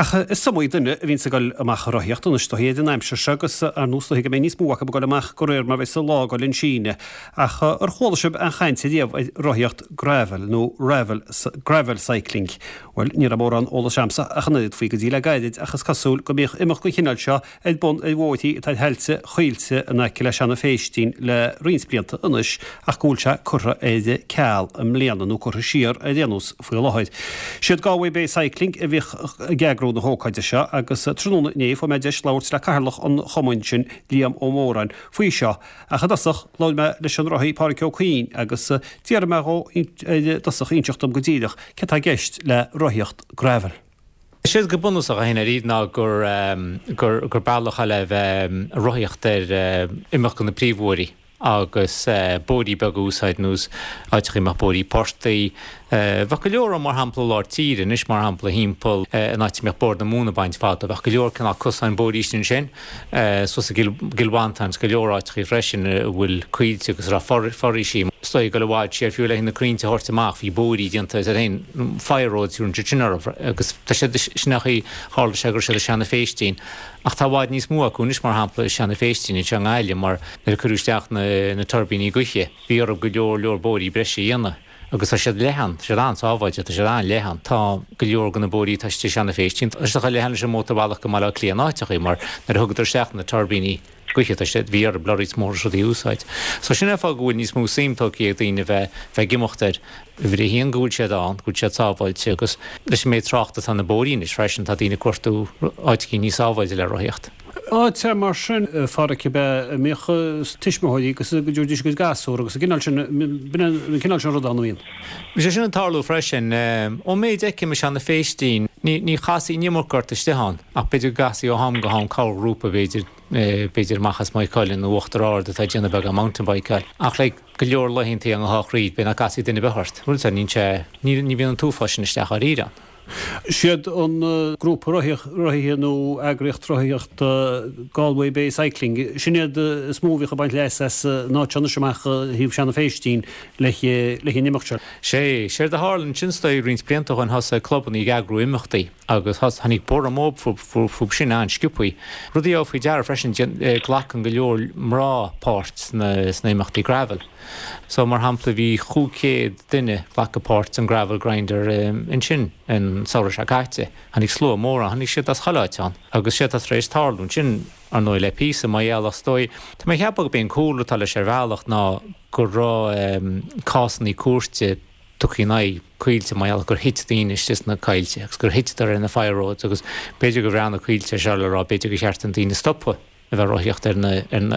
Ach is iomaí duine a bhíonns ag dul amach ag rothaíocht anois, is dóichí, ar an aimsir seo agus ar ndóigh is dóichí go mbeidh níos mó acu ag dul amach de réir mar a bheas an lá ag dul chun síneadh. Ach ar chuala sibh aon chaint ariamh ar rothaíocht gravel nó ravel, gravel cycling? Bhuel, ní raibh mórán eolais a'msa ach an oiread faoi go dtí le gairid ach is cosúil go mbíodh imeacht den chineál seo ar bun ar bhóithrí atá ar thailte Choillte in aice le Seanadh Phéistín le roinnt blianta anois ach go bhfuil sé curtha ar ceal i mbliana, nó curtha siar ar aon nós faoi láthair. Siad Galway Bay Cycling a bhíodh ag eagrú na hócáide seo agus tráthnóna inné fuair mé deis labhairt le cathaoirleach an chumainn sin, Liam Ó Móráin, faoi seo ach i dtosach labhair mé leis an rothaí Páraic Ó Cuinn agus d'iarr mé dhó ar dtosach inseacht dom go díreach céard tá i gceist le rothaíocht gravel. Is éard go bunúsach a théann ar iad ná gur gur bealach eile a bheith ag rothaíocht ar imeacht go na príomhbhóithrí agus bóithrí beaga a úsáid nós áiteachaí a mbeadh bóithrí portaigh. Bheadh go leor ann mar shampla i lár tíre anois mar shampla thimpeall an áit a mbíodh Bord na Móna ag baint fadó bheadh go leor cineál cosáin bóithrí istigh ansin suas i gCill Mhantáin is go leor áiteachaí freisin a bhfuil coillte agus a raibh foraoisí. Is dóigh ag dul i bhfad siar fiú le na crainnte a thabhairt amach bhí bóithrí déanta is ar aon fire roads a thugtaí sin orthu agus tá siad sin a tharla sé go raibh siad i Seanadh Phéistín. Ach tá i bhfad níos mó acu anois, mar shampla, i Seanadh Phéistín anseo i nGaillimh, mar nuair a cuireadh isteach na tuirbíní gaoithe, bhí orthu go leor leor bóithrí breise a dhéanamh agus tá siad leathan, tá siad an-sábháilte, tá siad an-leathan. Tá go leor de na bóithrí atá istigh i Seanadh Phéistín, tá siad chomh leathan leis an mótarbhealach go mBaile Átha Cliath in áiteachaí, mar nuair a thugadar isteach na tuirbíní gaoithe, tá siad, bhí orthu lorries móra is rudaí a úsáid. So sin é an fáth go bhfuil níos mó suim tógtha ag daoine bheith, bheith ag imeacht air. Uimhir a haon go bhfuil siad ann, go bhfuil siad sábháilte agus leis an méid tráchta atá ar na bóithrí anois freisin, tá daoine ag cuartú áiteachaí níos sábháilte le rothaíocht. Áit mar sin, a Pháraic, ab ea a mbíodh tuismitheoirí agus go dtabharfaidís a gcuid gasúr agus an cineál sin, b'in an cineál sin rud ann a bhíonn. Bhí sé sin ag tarlú freisin. Ón méid a fheicim i Seanadh Phéistín, ní chasfaí an iomarca ort istigh ann ach b'fhéidir go gcasfaí ó am go ham corrghrúpa b'fhéidir, b'fhéidir amach as Maigh Cuilinn nó Uachtar Ard atá ag déanamh beagán mountain bikeáil. Ach like go leor laethantaí an dhá throid, b'fhéidir nach gcasfaí duine ar bith ort. Bhuel, níl sé, ní bhíonn an t-uafás sin isteach dháiríre ann. Siad an grúpa rothaithe nó eagraíocht rothaíochta Galway Bay Cycling, sin iad is mó a bhíodh ag baint leas as an áit seo anois amach thaobh Seanadh Phéistín le an imeacht seo. Sé, séard a tharla ansin is dóigh roinnt blianta ó shin thosaigh clubannaí ag eagrú imeachtaí. Agus tháinig borradh mór fúthu sin an-sciobthaí. Rud a gheofá faoi deara freisin, glacann go leor mná páirt sna imeachtaí gravel. So, mar shampla, bhí 500 duine glacadh páirt san Gravel Grinder ansin an samhradh seo caite. Tháinig slua mór ann, tháinig siad as chuile áit ann. Agus séard atá tar éis tarlú ansin, ar ndóigh, le píosa, mar gheall, is dóigh, tá mé ag ceapadh gurb é an cúlra atá leis ar bhealach ná go raibh cásannaí cúirte, tugtha in aghaidh coillte mar gheall gur thit daoine istigh sna coillte agus gur thiteadar ar na fire roads agus b'fhéidir gur bhreathnaigh Coillte air seo le rá b'fhéidir gur cheart do na daoine stopadh a bheith ag rothaíocht ar na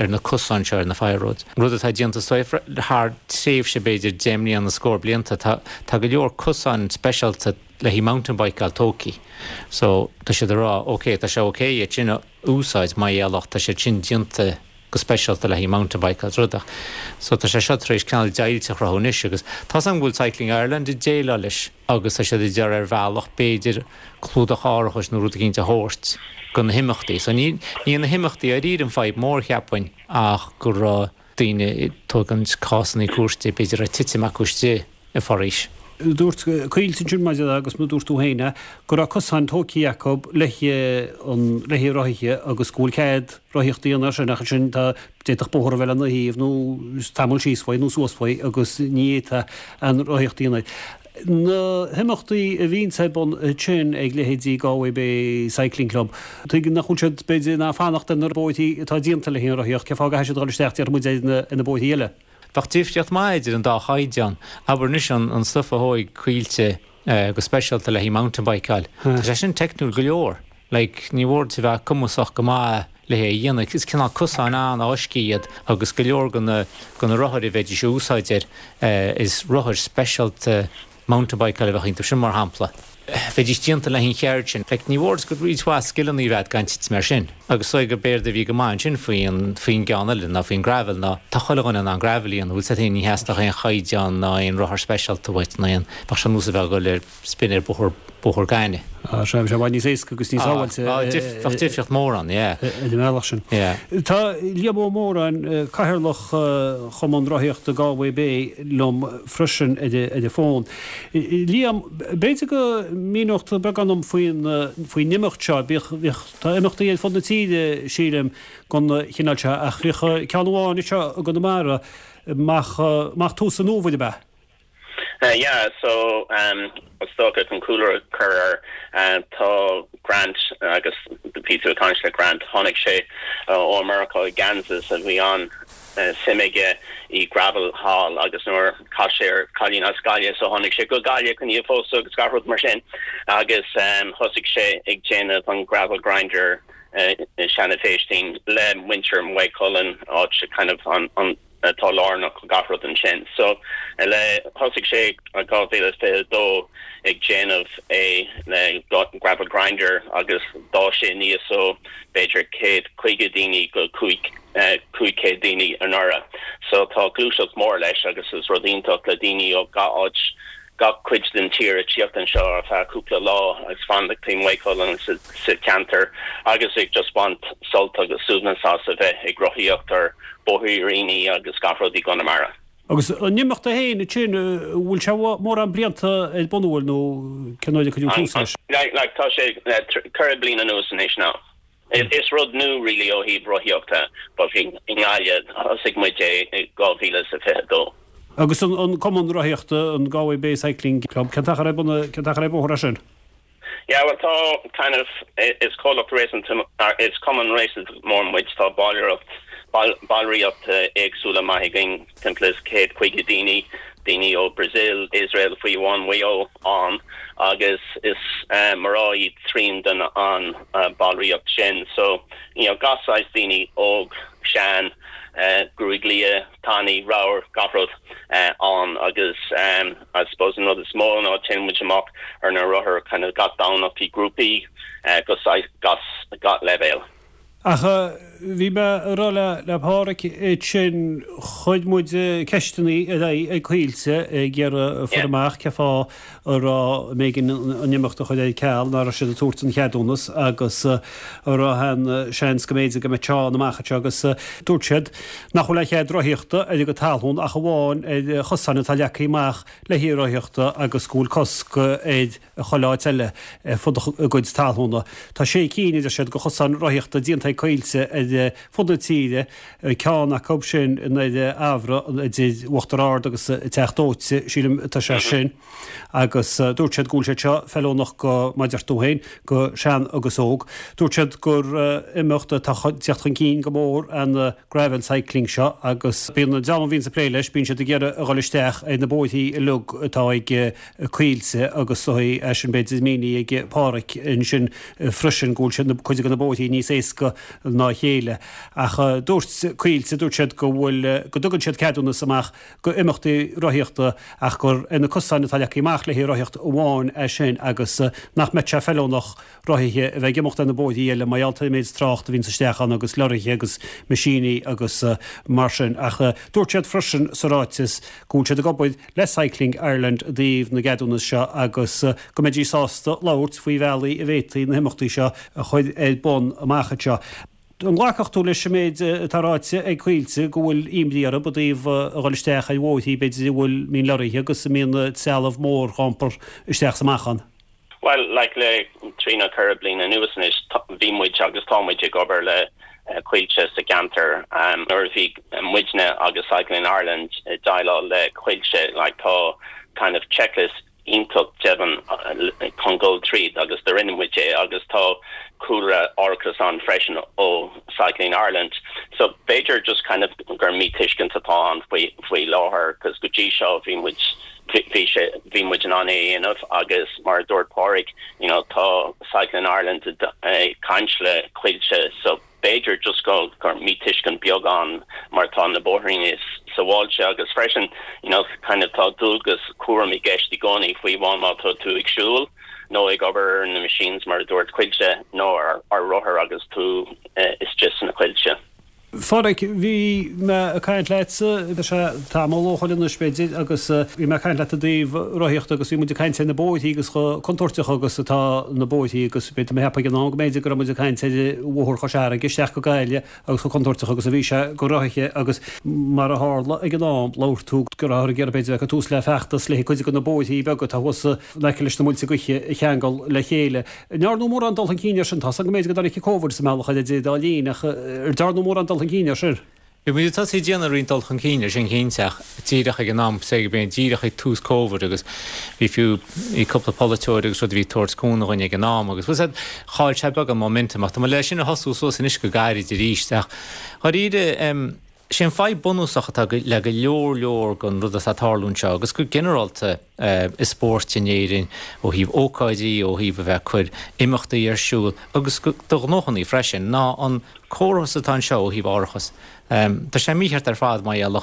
ar na cosáin seo ar na fire roads. Rud atá déanta is dóigh thar tréimhse b'fhéidir 10 mbliana scór blianta tá tá go leor cosáin speisialta le haghaidh mountain bikeáil tógtha so tá siad ag rá ok tá sé ok iad sin a úsáid mar gheall ach tá siad sin déanta go speisialta le haghaidh mountain bike agus rud ach so tá sé seo tar éis cineál deighilt a chruthú anois agus tá's agam go bhfuil Cycling Ireland ag déileáil leis agus tá siad ag iarraidh ar bhealach b'fhéidir clúdach árachais nó rud eicínt a thabhairt go na himeachtaí. So ní ní na himeachtaí dáiríre an fadhb mór cheapfainn ach go raibh daoine ag tógaint cásannaí cúirte b'fhéidir ag titim acu istigh i bhforaois. Dúirt Coillte ansin maidir le, agus mar a dúirt tú féin é, go raibh cosáin tógtha acu le an le haghaidh rothaithe agus go bhfuil cead rothaíocht a dhéanamh air sin ach ansin tá, d'fhéadfadh bóthar a bheith lena thaobh nó tamall síos uaidh nó suas uaidh agus ní fhéadfá an rothaíocht a dhéanamh air. Na himeachtaí a bhíonns ar bun ansin ag leithéidí Galway Bay Cycling Club, tuigim nach bhfuil siad b'fhéidir in ann fanacht ar na bóithrí atá déanta le haghaidh an rothaíocht, cén fáth go gcaithfidh siad a dhul isteach déarfaidh muid ar na bóithrí eile? Bheadh difríocht maith idir an dá chaighdeán. Abair anois an stuif a thóig Coillte go speisialta le haghaidh mountain bikeáil. Tá sé sin teicniúil go leor. Like, ní mhór duit a bheith cumasach go maith le hé a dhéanamh. Is cineál cosáin an-fháiscthe iad agus go leor de na de na rothair a bheidís a úsáid air, is rothair speisialta mountain bikeáil a bheadh iontu sin mar shampla. Bheidís déanta le haghaidh an cheird sin. Like, ní mhór duit go roinnt mhaith scileanna a bheith agat gan titim air sin. Agus is dóigh gurb éard a bhí go maith ansin faoin faoin gceann eile ná faoin gravel ná tá chuile dhuine in ann gravel a dhéanamh, bhfuil 's agat féin, ní theastódh aon chaighdeán ná aon rothar speisialta uait ná aon, bheadh sé ar nós a bheith ag dul ar spin ar bóthar, bóthar gainimh. Ah, sea, bheadh sé i bhfad níos éasca agus níos sábháilte. Ah, bheadh difríocht mór ann, yeah. Ar an mbealach sin. Yeah. Tá Liam Ó Móráin, Cathaoirleach Chumann Rothaíochta Galway Bay liom freisin ar an bhfón. Liam, b'fhéidir go. míneodh tú beagán dom faoin, faoin imeacht seo. Bíodh, bhíodh, tá imeachtaí ar fud na tíre, sílim, den chineál seo, ach bhíodh ceann amháin anseo i gConamara amach, amach tús an fhómhair, ab ea? Yeah, so is dócha chun cúlra a chur air, tá Grant agus bhí tú ag caint le Grant, tháinig sé ó America i gKansas a bhí an suim aige i gravel thall agus nuair chas sé ar cailín as Gaillimh so tháinig sé go Gaillimh chun í a phósadh agus gach rud mar sin agus thosaigh sé ag déanamh an gravel grinder i Seanadh Phéistín le muintir Mhaigh Cuilinn áit kind of an an atá lárnach do gach rud ansin. So, le, thosaigh sé i 2022 ag déanamh é le gravel grinder agus d'fhás sé aníos ó b'fhéidir 150 daoine go 500 daoine anuraidh. So tá gluaiseacht mór leis agus is rud iontach le daoine ó gach áit gach cuid den tír ag tíocht anseo ar feadh cúpla lá agus fanacht i Maigh Cuilinn sa cheantar agus ag just baint sult agus suaimhneas as a bheith ag rothaíocht ar bóithríní agus gach rud i gConamara. Agus an imeacht é féin ansin, an bhfuil sé mórán blianta ar bun, an bhfuil, nó cén uair a cuireadh tús leis? Like tá sé 4 bliana anuas anois now. Is rud nua really ó thaobh rothaíochta but i nGaillimh thosaigh muid é i 2022. Agus an cumann rothaíochta, an Galway Bay Cycling Club, cén t-achar ar bun, cén t-achar ar bóthar é sin? Yeah well tá kind of, is comhlacht réasúnta, is cumann réasúnta mór muid, tá ballraíocht, ballraíocht éagsúla maith againn, timpeall is 150 daoine, daoine ó Brazil, Israel, fiú amháin Maigh Eo ann agus is mná iad trian den an ballraíocht sin. So, you know, gach saghas daoine, óg, sean, gruaig liath, tanaí, ramhar, gach rud ann agus I suppose an rud is mó ná téann muid amach ar na rothair kind of gach Domhnach i grúpaí go saghas gach leibhéal. Ach bhí mé ag rá le Páraic ansin, chuir muid ceisteanna ar aghaidh ag Coillte ag iarraidh a fuair amach cén fáth a raibh mb'éigean an imeacht a chur ar ceal, nach raibh siad ag tabhairt an cheadúnas agus an raibh aon seans go mb'fhéidir go mbeadh sé ann amach anseo agus dúirt siad nach bhfuil aon chead rothaíochta ar a gcuid talún ach amháin ar chosáin atá leagtha amach le haghaidh rothaíochta agus go bhfuil cosc ar chuile áit eile ar fud a gcuid talúna. Tá sé cinn, a deir siad, de chosáin rothaíochta déanta ag Coillte ar fud na tíre, ceann acu sin i nDoire Eabhra idir Uachtar Ard agus an Teach Dóite, sílim atá sé sin, agus dúirt siad go bhfuil siad seo feiliúnach go, mar a deir tú féin, go sean agus óg. Dúirt siad gur imeacht atá ag teacht chun cinn go mór an gravel cycling seo agus bíonn an dream a bhíonns ag plé leis, bíonn siad ag iarraidh a dhul isteach ar na bóithrí uilig atá ag Coillte agus é sin b'fhéidir mínithe ag Páraic ansin freisin go bhfuil siad, cuid de na bóithrí níos éasca ná a chéile. Ach dúirt Coillte, dúirt siad go bhfuil, go dtugann siad ceadúnas amach go imeachtaí rothaíochta ach gur ar na cosáin atá leagtha amach le haghaidh rothaíocht amháin é sin agus nach mbeadh sé feiliúnach rothaithe a bheith ag imeacht ar na bóithrí eile mar gheall ar an méid trácht a bhíonns isteach ann agus lorraithe agus meaisíní agus mar sin. Ach dúirt siad freisin sa ráiteas go bhfuil siad ag obair le Cycling Ireland i dtaobh na gceadúnas seo agus go mbeidís sásta labhairt faoi bhealaí a bhféadfaí na himeachtaí seo a chur ar bun amach anseo. An nglacfadh tú leis an méid atá ráite ag Coillte go bhfuil imní orthu i dtaobh a dhul isteach ar bhóithrí b'fhéidir a bhfuil mbíonn lorraithe agus a mbíonn trealamh mór á iompar isteach is amach ann? Bhuel, like, le trí nó ceithre bliana anuas anois, bhí muid agus tá muid ag obair le Coillte sa gceantar. Nuair a bhí muidne agus Cycling Ireland ag déileáil le Coillte, like, tá kind of checklist iontach deimhin chun dul tríd agus do rinne muid é agus tá cúlra árachas ann freisin ó Cycling Ireland. So b'fhéidir just kind of gur míthuiscint atá ann faoi faoi láthair, 'cause go dtí seo bhí muid bhí sé, bhí muid in ann é a dhéanamh agus mar a dúirt Pádraig, you know, tá Cycling Ireland ag caint le Coillte so b'fhéidir just go, gur míthuiscint beag ann mar tá na bóithríní sábháilte agus freisin, you know, kind of tá dualgas cúraim i gceist i gcónaí fiú amháin má tá tú ag siúl nó ag obair ar na machines mar a dúirt Coillte nó ar, ar rothar agus tú istigh sna coillte. Phádraig, bhí mé ag caint leatsa, tá sé tamall ó shoin anois b'fhéidir, agus bhí mé ag caint leat i dtaobh rothaíochta agus bhí muid ag caint ar na bóithrí agus chomh contúirteach agus atá na bóithrí agus b'fhéidir mé a cheapadh ag an am go mb'fhéidir go raibh muid ag caint ar Bhóthar Chois Fharraige isteach go Gaillimh agus chomh contúirteach agus a bhí sé go rothaithe agus mar a tharla ag an am labhair tú go rabhthar ag iarraidh b'fhéidir bheith ag cur tús le feachtas le cuid de na bóithrí beaga atá thuas in aice leis na muilte gaoithe a cheangal le chéile. An ndearnadh mórán dul chun cinn air sin? Tá's agam go mb'fhéidir go dtáinig Covid sa mbealach idir an dá linn ach ar dearnadh mórán dul chun cinn air sin? Bhí muid ag tosaí ag déanamh roinnt dul chun cinn air sin cinnte ach díreach ag an am say go b'in díreach ag tús Covid agus bhí fiú bhí cúpla polaiteoir agus rud a bhí ag tabhairt cúnamh dhuinn ag an am agus bhfuil fhios a'd chaill sé beagán momentum ach tá muid le sin a thosú suas anois go gairid arís ach dháiríre em sé an fadhb bunúsach atá le go leor leor den rud atá ag tarlú anseo agus go ginearálta i spóirt in Éirinn ó thaobh ócáidí, ó thaobh a bheith ag cur imeachtaí ar siúl agus do ghnóthannaí freisin, ná an córas atá anseo ó thaobh árachas. Tá sé mícheart ar fad mar gheall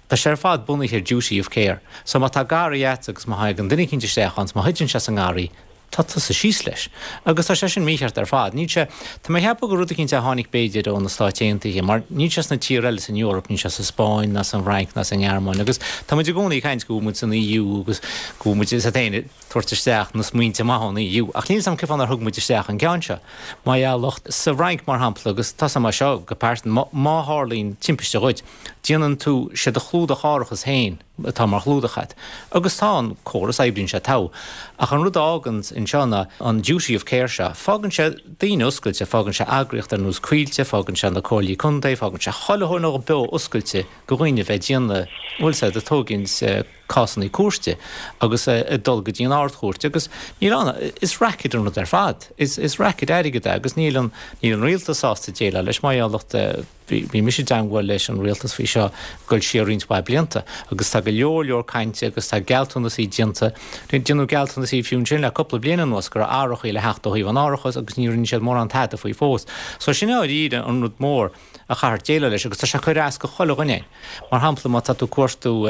tá sé ar fad bunaithe ar duty of care. So má tá garraí a'd agus má thagann duine eicínt isteach ann 's má thuiteann sé sa ngarraí, tá tusa síos leis. Agus tá sé sin mícheart ar fad. Níl sé, tá mé ag ceapadh gur rud eicínt a tháinig b'fhéidir ó na Stáit Aontaithe, mar níl sé sna tíortha eile san Eoraip, níl sé sa Spáinn ná san bhFrainc ná sa nGearmáin agus tá muid i gcónaí ag caint go bhfuil muid san EU agus go bhfuil muid, is ea féin, ag tabhairt isteach na smaointe maithe ón EU. Ach níl 'fhios a'm cén fáth nár thug muid isteach an ceann seo. Mar gheall, sa bhFrainc mar shampla, agus tá 'fhios a'm é seo go pearsanta, má, má tharlaíonn timpiste dhuit, déanann tú, sé do chlúdach árachas féin, atá mar chlúdach agat. Agus tá an córas, oibríonn sé togha. Ach an rud a fhágann anseo ná an duty of care seo. Fágann sé daoine oscailte, fágann sé eagraíocht ar nós Coillte, fágann sé na comhairlí contae, fágann sé chuile dhuine beo oscailte go dhaoine a bheith ag déanamh, bhfuil 'fhios a'd, ag tógaint cásannaí cúirte agus ag dul go dtí an Ard-Chúirt agus níl ann, is racket an rud ar fad. Is racket airgid é agus níl an, níl an rialtas sásta déileáil leis mar gheall Bhí mise i dteangmháil leis an rialtas faoi seo ag dul siar roinnt mhaith blianta agus tá go leor leor cainte agus tá gealltanasaí déanta, déanadh gealltanasaí fiú ansin le cúpla bliain anuas go raibh athrachaí le theacht ó thaobh an árachais agus ní rinne siad mórán tada faoi fós. So sin i ndáiríre an rud mór a chaithfear déileáil leis agus tá sé ag cur as go chuile dhuine. Mar shampla má tá tú ag cuartú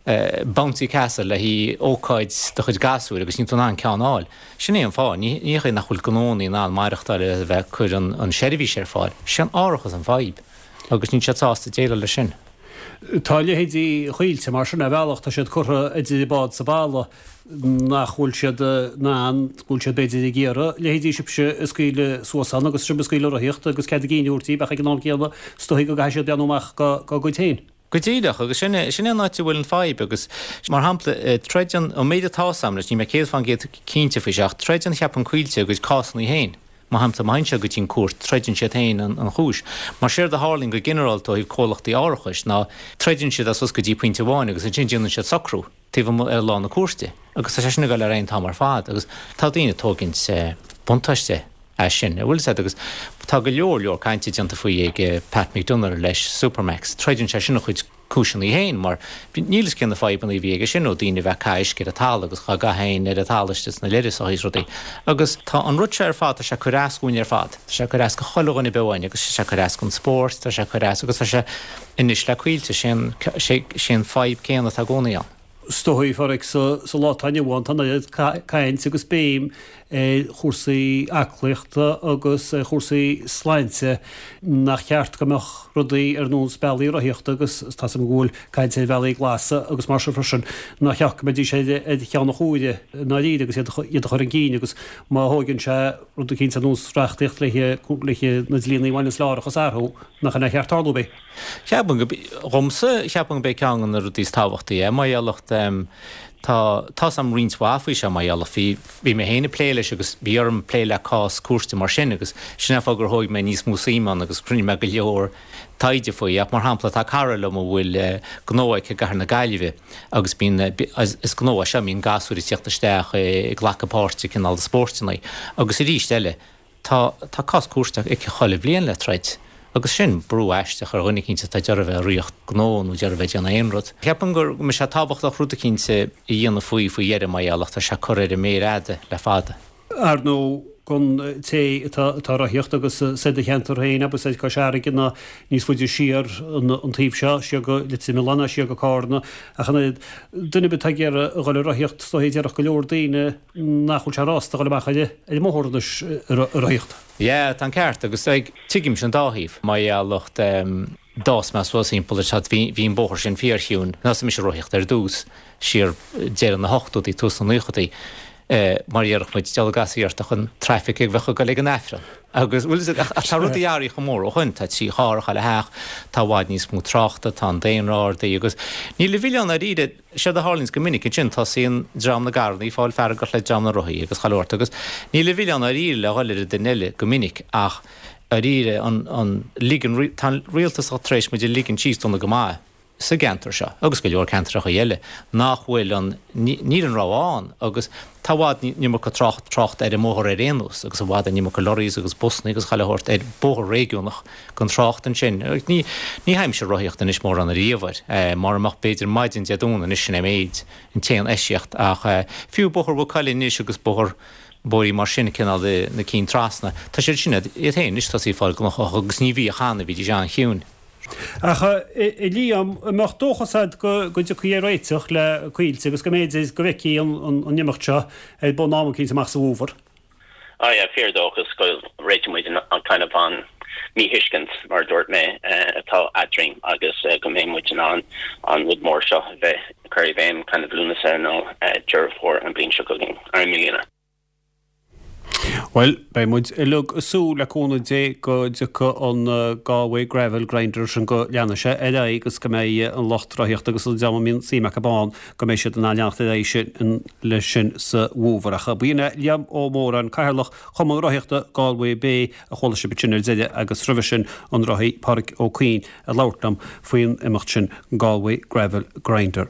bouncy castle le haghaidh ócáid do chuid gasúir agus níl tú in ann ceann a fháil. Sin é an fáth. Ní hé nach bhfuil gnónnaí in ann maireachtáil le bheith ag cur an seirbhís ar fáil. Sé an árachas an fadhb agus níl siad sásta déileáil leis sin. Tá leithéidí Choillte mar sin ar bhealach, tá siad curtha idir bád 's an balla nach bhfuil siad in ann, go bhfuil siad b'fhéidir ag iarraidh leithéidí sibhse a scaoileadh suas ann agus sibh ag scaoileadh rothaíochta agus cead a gcinn a thabhairt díobh ach ag an am céanna is dóigh go gcaithfidh siad breathnú amach dá gcuid féin. Go díreach, agus sin é, sin é an áit a bhfuil an fadhb agus, mar shampla, troideann, an méid atá 'fhios a'm leis, níl mé 100% cinnte faoi seo, ach troideann, cheapfainn Coillte a gcuid cásannaí féin. Mar shampla, má théann sé go dtí an cúirt, troideann siad féin an, an chúis. Mar séard a tharlaíonn go ginearálta ó thaobh comhlachtaí árachais ná troideann siad é suas go dtí pointe amháin agus ansin déanann siad socrú taobh amuigh ar lá na cúirte agus tá sé sin ag dul ar aghaidh an t-am ar fad agus tá daoine ag tógaint buntáiste as sin, an bhfuil 'fhios a'd, agus tá go leor leor cainte déanta faoi ag Pat McDonagh leis Supermacs, troideann sé sin a chuid cúiseanna féin mar níl 'fhios cé na fadhbanna a bhí aige sin ó daoine a bheith ag caitheamh uisce ar an talamh agus dhá gcaitheamh féin ar an talamh istigh sna leithreasachaí is rudaí agus tá an rud seo ar fad, tá sé ag cur as dhúinn ar fad, tá sé ag cur as go chuile dhuine beo againn agus tá sé ag cur as don spórt, tá sé ag cur as agus tá sé anois le Coillte, sé an, sé an fadhb céanna atá i gcónaí ann. Is dóigh, a Phádraig, sa lá atá inniu ann, tá an oiread caint agus béim ar chúrsaí aclaíochta agus ar chúrsaí sláinte nach cheart go mbeadh rudaí ar nós bealaí rothaíochta agus tá 's agam go bhfuil caint ar bhealaí glasa agus mar sin freisin, nach cheart go mbeidís ar cheann an chomhairimh i ndáiríre agus iad a chur chun cinn agus má thóigeann sé rud eicínt ar nós reachtaíocht le na dlíonnaí a bhaineanns le árachas a athrú, nach in é a cheart tarlú, b'é. Cheapfainn go, dhomsa, cheapfainn go b'é ceann de na rudaí is tábhachtaí é, mar gheall tá, tá's a'm roinnt mhaith faoi seo, mar gheall bhí, bhí mé féin ag plé leis agus bhí orm plé le cás cúirte mar sin agus sin é an fáth gur thóig mé níos mó suim ann agus rinne mé go leor taighde faoi. Ach mar shampla, tá cara liom a bhfuil gnó aici i gcathair na Gaillimhe agus bíonn, is gnó é seo, bíonn gasúir ag tíocht isteach ag glacadh páirt i cineál de spóirteanna agus arís eile, Tá, tá cás cúirte aici chuile bhliain le troid, agus sin brú aisteach ar dhuine eicínt atá ag iarraidh bheith ag ritheacht gnó nó ag iarraidh bheith ag déanamh aon rud. Ceapaim go mbeidh sé tábhachtach rud eicínt a dhéanamh faoi faoi dheireadh mar gheall ach tá sé curtha ar an méar fhada le fada. Ar ndóigh. don té atá ag rothaíocht agus is i do cheantar féin, abair soir Cois Fharraige ná níos faide siar an taobh seo, siar go Leitir Mealláin ná siar go Cárna. Ach an oiread, duine ar bith atá ag iarraidh a dhul ag rothaíocht, is dóichí déarfadh go leor daoine nach bhfuil sé rósta a dhul amach ar an mbóthar anois ag rothaíocht. Yeah, tá an ceart agus tuigimse an dá thaobh. Mar gheall lucht d'fhás mé suas thimpeall ar seo, bhí an bóthar sin fíorchiúin. Thosaigh mise ag rothaíocht ar dtús, siar deireadh na hochtóidí, tús na naochadaí, mar a déarfadh muid, diabhal a gcasfaí ort ach an traffic a bheadh ag dul ag an Aifreann. Agus, bhfuil fhios agat, ach tá rudaí athraithe chomh mór ó shoin, tá 3 charr ag chuile theach, tá i bhfad níos mó tráchta, tá an daonra ardaithe agus níl a mhilleán dáiríre, séard a tharlaíonns go minic ansin, tosaíonn dream na gcarrannaí ag fáil feargach le dream na rothaí agus chuile shórt agus níl a mhilleán dáiríre le dhul ar an duine eile go minic ach dáiríre an, an, ligean, tá an rialtas tar éis muid a ligean síos dona go maith. sa gceantar seo, agus go leor ceantracha eile, nach bhfuil an, níl an rogha ann agus tá i bhfad an iomarca trácht, trácht ar an mbóthar ar aon nós agus i bhfad an iomarca lorries agus busanna agus chuile shórt ar bóthar réigiúnach gan trácht ansin. Ní, ní théimse ag rothaíocht anois mórán ariamh air, mura mbeadh b'fhéidir maidin Dé Domhnaigh anois sin é méid, an t-aon eisceacht ach fiú Bóthar Mhaigh Cuilinn anois agus Bóthar bóithrí mar sin, cineál na cinn trasna, tá siad sin iad féin anois tosaithe ag fáil gnóthach agus ní bhíodh cheana, bhídís an-chiúin. Ach, a Liam, an mbeadh dóchas agat go dtiocfaí ar réiteach le Coillte agus go mb'fhéidir go bhfeicfí an imeacht seo ar bun am eicínt amach sa bhfómhar? Ah yeah, fíor-dóchas go réiteoidh muid an kind of an míthuiscint, mar a dúirt mé, atá eadrainn agus go mbeidh muid in ann an rud mór seo a bheith curtha i bhfeidhm kind of Lúnasa nó Deireadh Fómhair an bhliain seo chugainn, ar i mbliana. Bhuel, beidh muid uilig ag súil le cúnamh Dé go dtiocfaidh an Galway Gravel Grinder sin, go leanfaidh sé ar aghaidh agus go mbeidh an lucht rothaíochta agus an dream a mbíonn suim acu ann, go mbeidh siad in ann leanacht ar aghaidh sin leis sin sa bhfómhar. Ach b'in é Liam Ó Móráin, Cathaoirleach Chumann Rothaíochta Galway Bay a chuala sibh ansin ar deireadh agus roimhe sin an rothaí Pádraic Ó Cuinn ag labhairt liom faoin imeacht sin Galway Gravel Grinder.